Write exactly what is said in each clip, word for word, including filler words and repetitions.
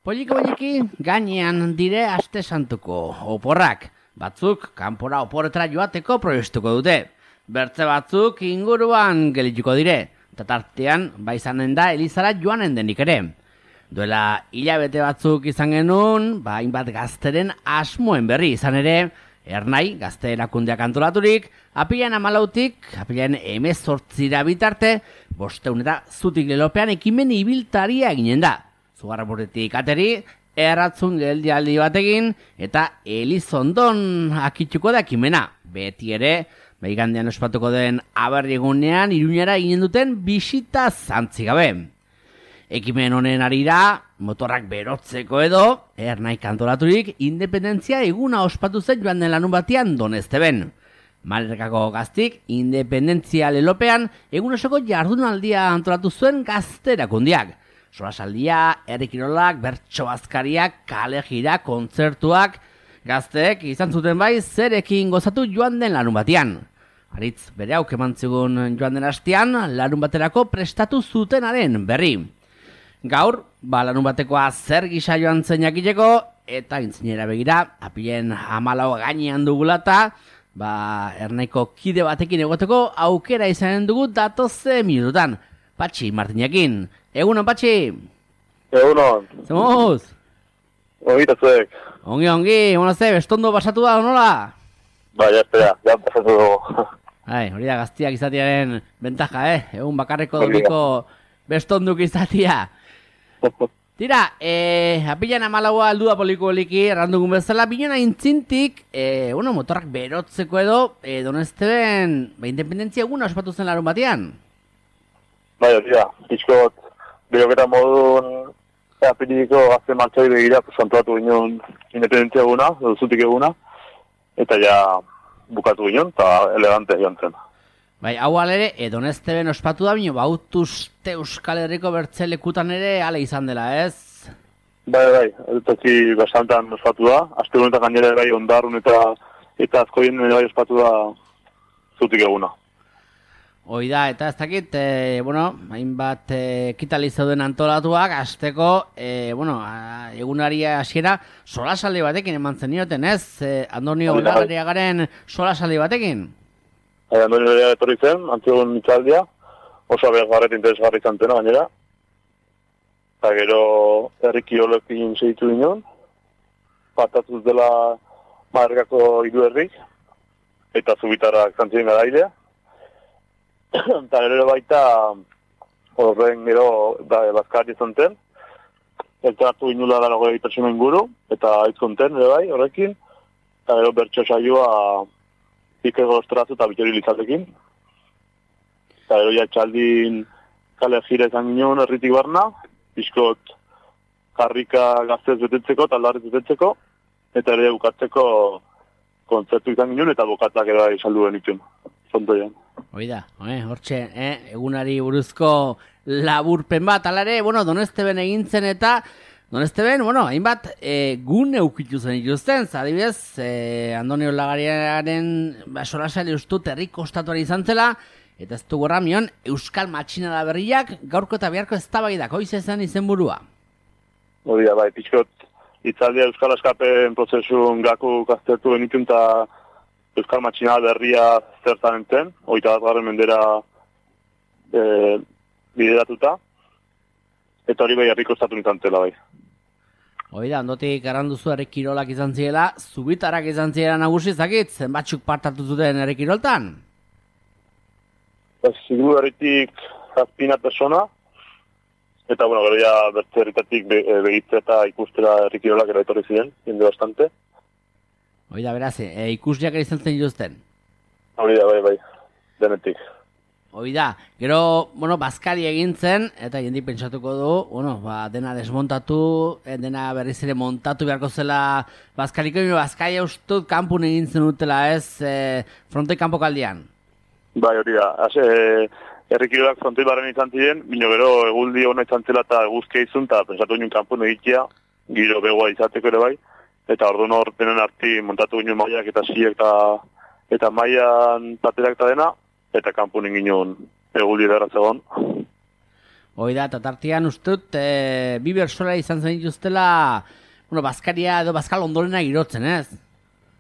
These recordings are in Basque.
Poliki-poliki gainean dire aste santuko oporrak. Batzuk kanpora oporretara joateko proiestuko dute. Bertze batzuk inguruan gelituko dire. Eta tartean baizanen da Elizara joanen denik ere. Duela hilabete batzuk izan genuen, ba, hainbat gazteren asmoen berri izan ere, Ernai, gazte erakundeak antolaturik, apilan amalautik, apilan emezortzira bitarte, bosteun eta zutik lelopean ekimen ibiltaria eginen da. Zugarraburretik ateri, erratzun geldialdi batekin, eta Elizondon akitxuko da ekimena. Beti ere, behigandean ospatuko den aberriegunean, Iruñara eginen duten bisita zantzigabe. Ekimen honen arira, motorrak berotzeko edo, Ernai kantolaturik, independentzia eguna ospatu zen joan den larun batean Donezteben. Malerkako gaztik, independentzia lelopean, egun osoko jardunaldia antolatu zuen gazterakundiak. Solasaldia, herrikirolak, bertso bazkariak, kale gira, kontzertuak, gazteek izan zuten bai zerekin gozatu joan den larun batean. Aritz bere hauk eman zigun joan den hastean, larun baterako prestatu zutenaren berri. Gaur, ba, larun batekoa zer gisa joan zen jakiteko, eta intzinera begira, apilen hamalau gainean dugulata, ba, Ernaiko kide batekin egoteko aukera izanen dugu datoze minututan. Patxi Martinakin. Egunon, Patxi? Egunon. Zemuz? Ongi tazuek. Ongi, ongi. Bueno, ze, bestondo pasatu da, nola? Ba, ya espera, ya pasatu dugu. Ai, hori da gaztiak izatearen bentaja, eh? Egun bakarreko domiko bestonduk izatea. Tira, eh, apilan amalaua aldua poliko-poliki errandugun bezala, bilena intzintik, eh, bueno, motorrak berotzeko edo, eh, Donezteben, ba, independentzia eguna ospatu zen larun batean. Bai, hori da, pixkot, beroketa modun, apiliko gazte martxai begira, pues, antolatu ginen independentzia eguna, edo zutik eguna, eta ja bukatu ginen, eta elegante joan zen. Bai, hau alere, e, Donezteben ospatu da, bino, bautuzte Euskal Herriko bertzelekutan ere ale izan dela, ez? Bai, bai, toki bastantan ospatu da, aste honetan gainera bai ondarrun eta eta azkoien bai ospatu da zutik eguna. Hoi da, eta ez dakit, e, bueno, hainbat e, ekitali zeuden antolatuak, azteko, e, bueno, a, egunari hasiera solasaldi batekin eman zenioten, ez? E, Andonio Olagariagaren solasaldi batekin? Bai, Andonio Olagariaga etorri zen, antzigun mitzaldia, oso abegarret interesgarri izan zena gainera. Eta gero herriki olekin segitu ginen, patatuz dela Malerkako hiru herrik, eta zubitarrak zantzien garailea. Eta gero baita horren gero da, bazkari izan zen, elkartu inula dara goi pertsona inguru, eta aizkonten ere bai horrekin, eta gero bertso saioa Iker Golostoratu eta Bitori Lizatekin. Eta gero ja txaldin kale jira izan ginen herritik barna, pixkot karrika gaztez betetzeko, taldarrez betetzeko, eta ere bukatzeko kontzertu izan ginen, eta bokatak ere bai saldu benituen, zontoian. Oida, eh, hortxe, eh, egunari buruzko laburpen bat, alare, bueno, Donezteben egintzen eta Donezteben, bueno, hainbat e, gune ukitu zen ikusten, adibidez, e, Andonio Olagariaren ba, solasali ustut herriko ostatuari izan zela, eta ez du gorramion, Euskal Matxinada berriak gaurko eta biharko eztabaidak, hoiz ezen izenburua. Hori da, bai, pixkot, itzaldia Euskal Eskapen prozesun gaku gaztertu genitun, eta Euskal Matxinada berria zertan enten, hogeita bat garren mendera e, bideratuta, eta hori bai herriko estatu nintzen zela bai. Hoi da, ondotik erranduzu herrikirolak izan ziela, zubitarak izan ziela nagusi zakit, zenbatxuk partatu zuten herrikiroltan? Zigu herritik zazpina persona, eta bueno, gero ja bertze herritatik be, begitze eta ikustera herrikirolak era etorri ziren, jende bastante. Hoi da, beraz, e, ikusleak ere izan zen dituzten? Hori da, bai, bai, denetik. Hoi da, gero, bueno, bazkari egin zen, eta jendi pentsatuko du, bueno, ba, dena desmontatu, dena berriz ere montatu beharko zela bazkariko, bazkari ustut kanpun egin zen utela, ez, e, frontoi kanpokaldian. Bai, hori da, e, herrikirolak frontoi barren izan ziren, bino gero eguldi hona izan zela eta eguzkia izun, eta pentsatu ginen kanpun egitea, giro begoa izateko ere bai, eta orduan hor denen arti montatu ginen maiak eta siek eta, eta maian platerak eta dena, eta kanpun egin eguldi derra zegoen. Hoi da, eta tartean ustut, e, bi bersola izan zen dituztela, bueno, Bazkaria edo Bazkal ondorena girotzen, ez?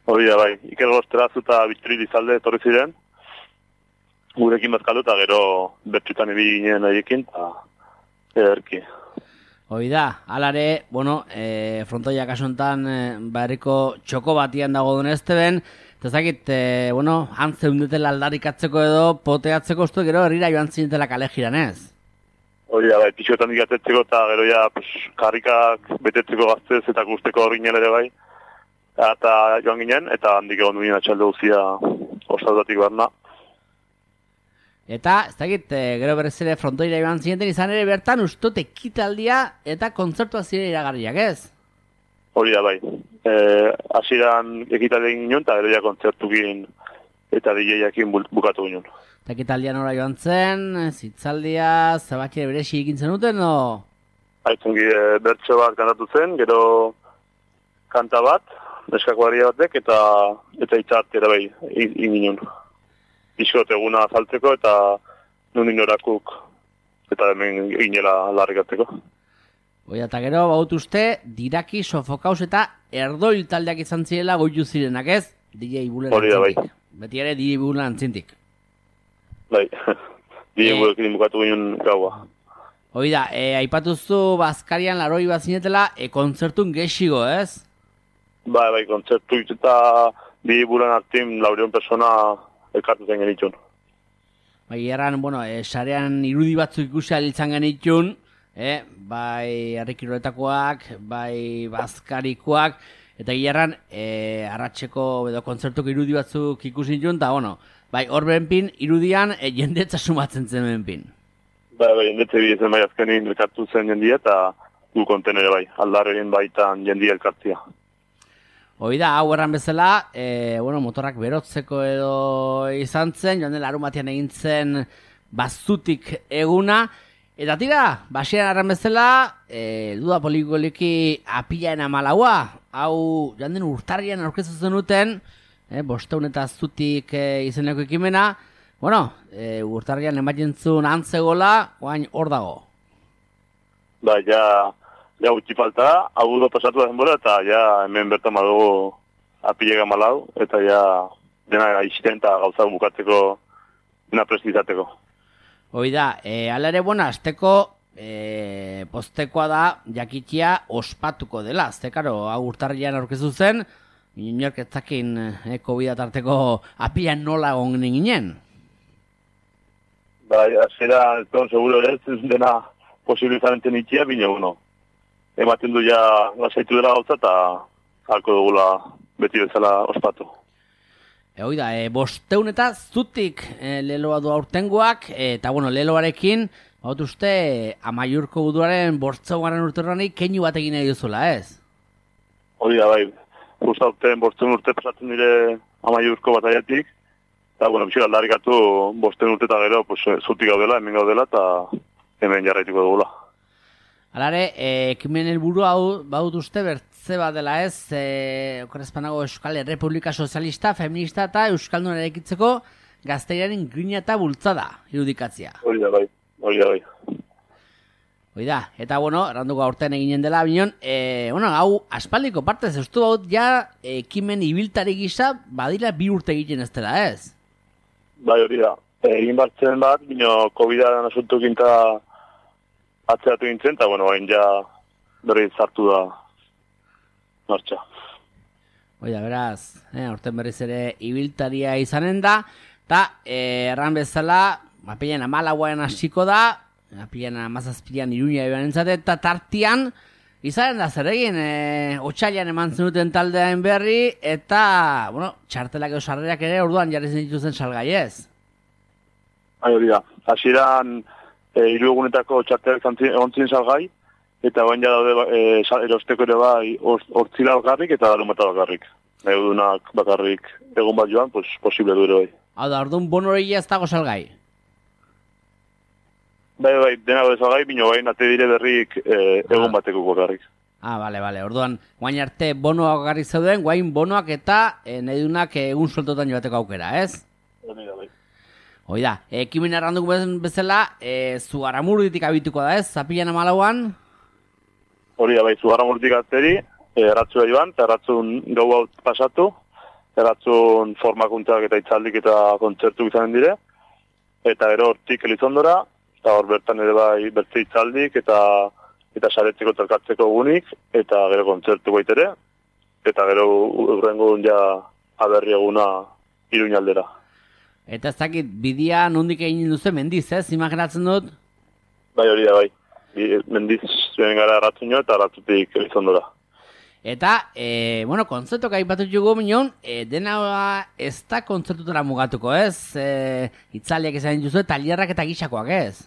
Hori da, bai. Iker Gosterazu eta Bittori Lizalde etorri ziren, gurekin bazkaldu eta gero bertxutan ibili ginen haiekin, eta ederki. Hoi da, alare, bueno, e, frontoia kasontan e, barriko txoko batian dago duen ezte ben, eta zakit, e, bueno, antzeundetela aldarikatzeko edo poteatzeko ustu gero herrira joan zinetela kale jiran ez? Hori da, bai, pixotan digatetzeko eta gero ja, pues, karrikak betetzeko gaztez eta guzteko hori ginen ere bai, eta joan ginen, eta handik egon duen atxalde guzia osadatik barna. Eta, ez dakit, e, gero berrez ere frontoira joan zineten izan ere bertan ustut ekitaldia eta kontzertua zire iragarriak, ez? Hori da, bai. E, Asiran ekitaldia egin ginen, eta gero ja kontzertukin eta D J-akin bukatu ginen. Eta ekitaldia nora joan zen, zitzaldia, zabakire beresi egin zenuten, no? Aitzungi e, bertso bat kantatu zen, gero kanta bat, neskakuaria batek, eta eta itzart ere bai, egin ginen. Bizkot eguna azaltzeko eta nunin orakuk eta hemen ginela larrikatzeko. Oia, eta gero, baut uste, Diraki, Sofokaus eta Erdoil taldeak izan zirela goitu zirenak, ez? D J Bulen antzintik. Bai. Beti ere D J Bulen antzintik. Bai, D J e... Bulen bukatu ginen gaua. Hoi da, e, aipatuzu Bazkarian laroi bat zinetela, e, kontzertun gexigo, ez? Bai, bai, kontzertu eta D J Bulen aktin laureon persona elkartu zen genitxun. Bai, erran, bueno, e, sarean irudi batzuk ikusi alitzan genitxun, e, bai herrikiroletakoak, bai bazkarikoak, eta gerran, e, arratseko edo kontzertuko irudi batzuk ikusi nitxun, eta, bueno, bai, hor benpin, irudian, e, jendetza sumatzen zen benpin. Bai, bai, jendetze bidezen bai azkenin elkartu zen jendia, eta gu konten ere bai, aldarren baitan jendia elkartzia. Hoi da, hau erran bezala, e, bueno, motorrak berotzeko edo izan zen, joan dela arumatian egin zen bazutik eguna, eta tira, basieran erran bezala, e, duda polikoliki apilaen amalaua, hau joan den urtarrian aurkezu zenuten, e, bosteun eta zutik e, izeneko ekimena, bueno, e, urtarrian ematentzun antzegola, oain hor dago. Ba, ja... Ja, gutxi falta, hau do pasatu da denbora, eta ja hemen bertan badugu apilega malau, eta ja dena gaizten eta gauza bukatzeko dena prestizateko. Hoi da, e, ala ere, bueno, azteko e, postekoa da jakitia ospatuko dela. Azte, karo, hau urtarrian aurkezu zen, inork ez zakin e, COVID tarteko apilan nola gongen ginen. Ba, azera, ez don, seguro ez, ez dena posibilizaren itxia, bine, bueno, ematen du ja lasaitu dela gauza eta halko dugula beti bezala ospatu. E, hoi da, e, bosteun eta zutik e, leloa du aurtengoak, e, eta bueno, leloarekin, baut uste, Amaiurko buduaren bortzauaren urterranik keinu bat egin nahi duzula, ez? Hori da, bai, guzta urtean bosteun urte pasatzen dire Amaiurko bataiatik, eta bueno, bizira aldarikatu bosteun urte eta gero pues, zutik gaudela, hemen gaudela, eta hemen jarraituko dugula. Alare, e, ekimen helburu hau baut uste bertze bat dela ez, e, okorrezpanago Euskal Errepublika Sozialista, Feminista eta Euskaldun eraikitzeko gazteriaren grina eta bultzada irudikatzia. Hori da, bai, hori da, bai. Hori da, eta bueno, erranduko aurten eginen dela, bineon, e, bueno, hau aspaldiko partez, eustu baut ja ekimen ibiltari gisa badila bi urte egiten ez dela ez? Bai, hori da, egin batzen bat, bino COVID-an asuntukin eta atzeratu gintzen, eta, bueno, hain ja berri zartu da martxa. Oida, beraz, eh, orten berriz ere ibiltaria izanen da, eta eh, erran bezala, apilean amalauan hasiko da, apilean amazazpilean Iruña eban entzate, eta tartian, izanen da zer egin, eh, otxailan eman zenuten taldean berri, eta, bueno, txartelak edo sarrerak ere orduan jarri zen dituzen salgai ez? Hai, hori da, hasieran E, hiru egunetako txartelak egon ziren salgai, eta bain ja daude e, erosteko ere bai hortzila bakarrik eta darumata bakarrik. Egudunak bakarrik egun bat joan, pues, posible du ere bai. Hau da, orduan bonoreia ez dago salgai? Bai, bai, dena daude salgai, bino bain ate dire berrik e, egun ah. bateko bakarrik. Ah, bale, bale, orduan, guain arte bonoak bakarrik zeuden, guain bonoak eta e, nahi dunak egun sueltotan joateko aukera, ez? Hori da, bai. Hoi da, ekimen erranduk bezala, e, Zugarramurditik abituko da ez, zapilan amalauan? Hori da, bai, Zugarramurditik atzeri, erratzua joan, eta erratzun gau hau pasatu, erratzun formakuntzak eta itzaldik eta kontzertu izanen dire, eta gero hortik Elizondora, eta hor bertan ere bai bertze itzaldik eta eta saretzeko terkatzeko egunik, eta gero kontzertu baitere, eta gero urrengo ja aberri eguna Iruñaldera. Eta ez dakit, bidia nondik egin duzu mendiz, ez? Imaginatzen dut? Bai, hori da, bai. Mendiz zuen gara erratzunio eta erratzutik Elizondora. Eta, e, bueno, kontzertuak aipatut jugu minon, e, dena ez da kontzertutara mugatuko, ez? E, itzaliak izan duzu, tailerrak eta gixakoak, ez?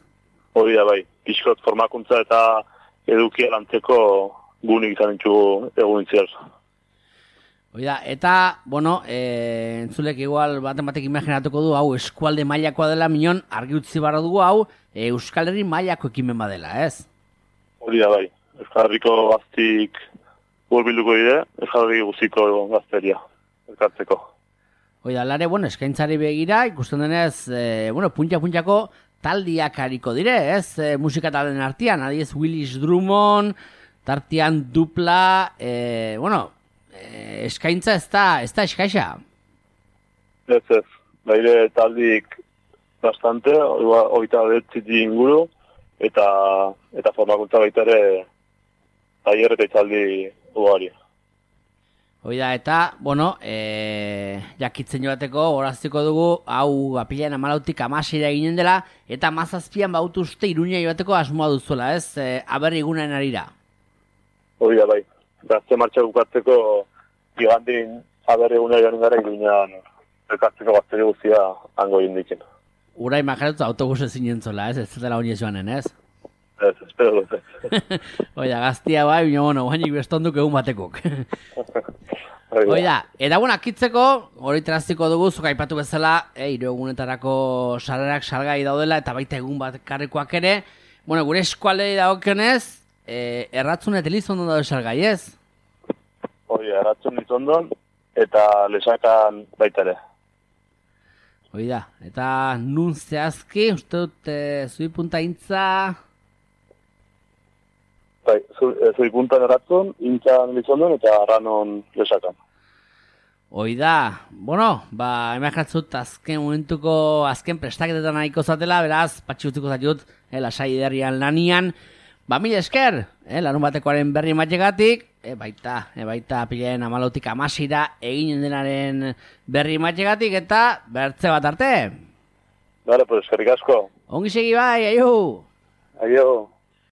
Hori da, bai. Pixkot formakuntza eta edukia lantzeko gunik izan ditugu egun intziar. Oida, eta, bueno, e, entzulek igual baten batek imaginatuko du, hau eskualde mailakoa dela, minon, argi utzi barra dugu, hau, e, Euskal Herri mailako ekimen badela, ez? Hori da, bai. Euskal Herriko gaztik hurbilduko dire, Euskal Herri guztiko gazteria, elkartzeko. Oida, lare, bueno, eskaintzari begira, ikusten denez, e, bueno, puntxa-puntxako taldiak hariko dire, ez? E, musika taldeen artean, adiez Willis Drummond, tartean dupla, e, bueno, e, eskaintza ez da, ez da eskaixa. Ez ez, baire taldik bastante, oita betziti inguru, eta eta formakuntza baita ere tailer eta itzaldi ugari. Oida, eta, bueno, e, jakitzen joateko, horaztiko dugu, hau apilean amalautik amasira eginen dela, eta mazazpian bautu uste Iruña joateko asmoa duzuela, ez? E, aberri egunen arira. Hori da, bai. Gazte martxa bukatzeko igandin aberri egunen joan gara Iruñan elkartzeko gazteri guztia hango indiken. Ura imaginatu autobus ezin jentzola, ez? Ez dela honi joanen, ez? Ez, espero dut ez. Oida, gaztia bai, bino, bueno, guainik bestonduk egun batekok. Oida, eta bueno, akitzeko, hori teraztiko dugu, zuka aipatu bezala, e, hiru egunetarako sarrerak salgai daudela, eta baita egun bat karrikoak ere. Bueno, gure eskualdei dagokionez, e, erratzun eta Elizondon daude salgai, ez? Hori, erratzun Elizondon, eta lesakan baita ere. Oida, eta nun zehazki, uste dut, e, zui punta intza... Bai, zui puntan erratzun, intzan Elizondon eta ranon lesakan. Oida, bueno, ba, imaginatzut azken momentuko, azken prestaketetan nahiko zatela, beraz, patxi utziko zatut, eh, lasai derrian lanian, ba, mil esker, eh, larun batekoaren berri matxegatik, e, baita, e, baita, pilen amalautik amasira eginen denaren berri matxegatik, eta bertze bat arte. Bale, pues, eskerrik asko. Ongi segi bai, aio! Aio!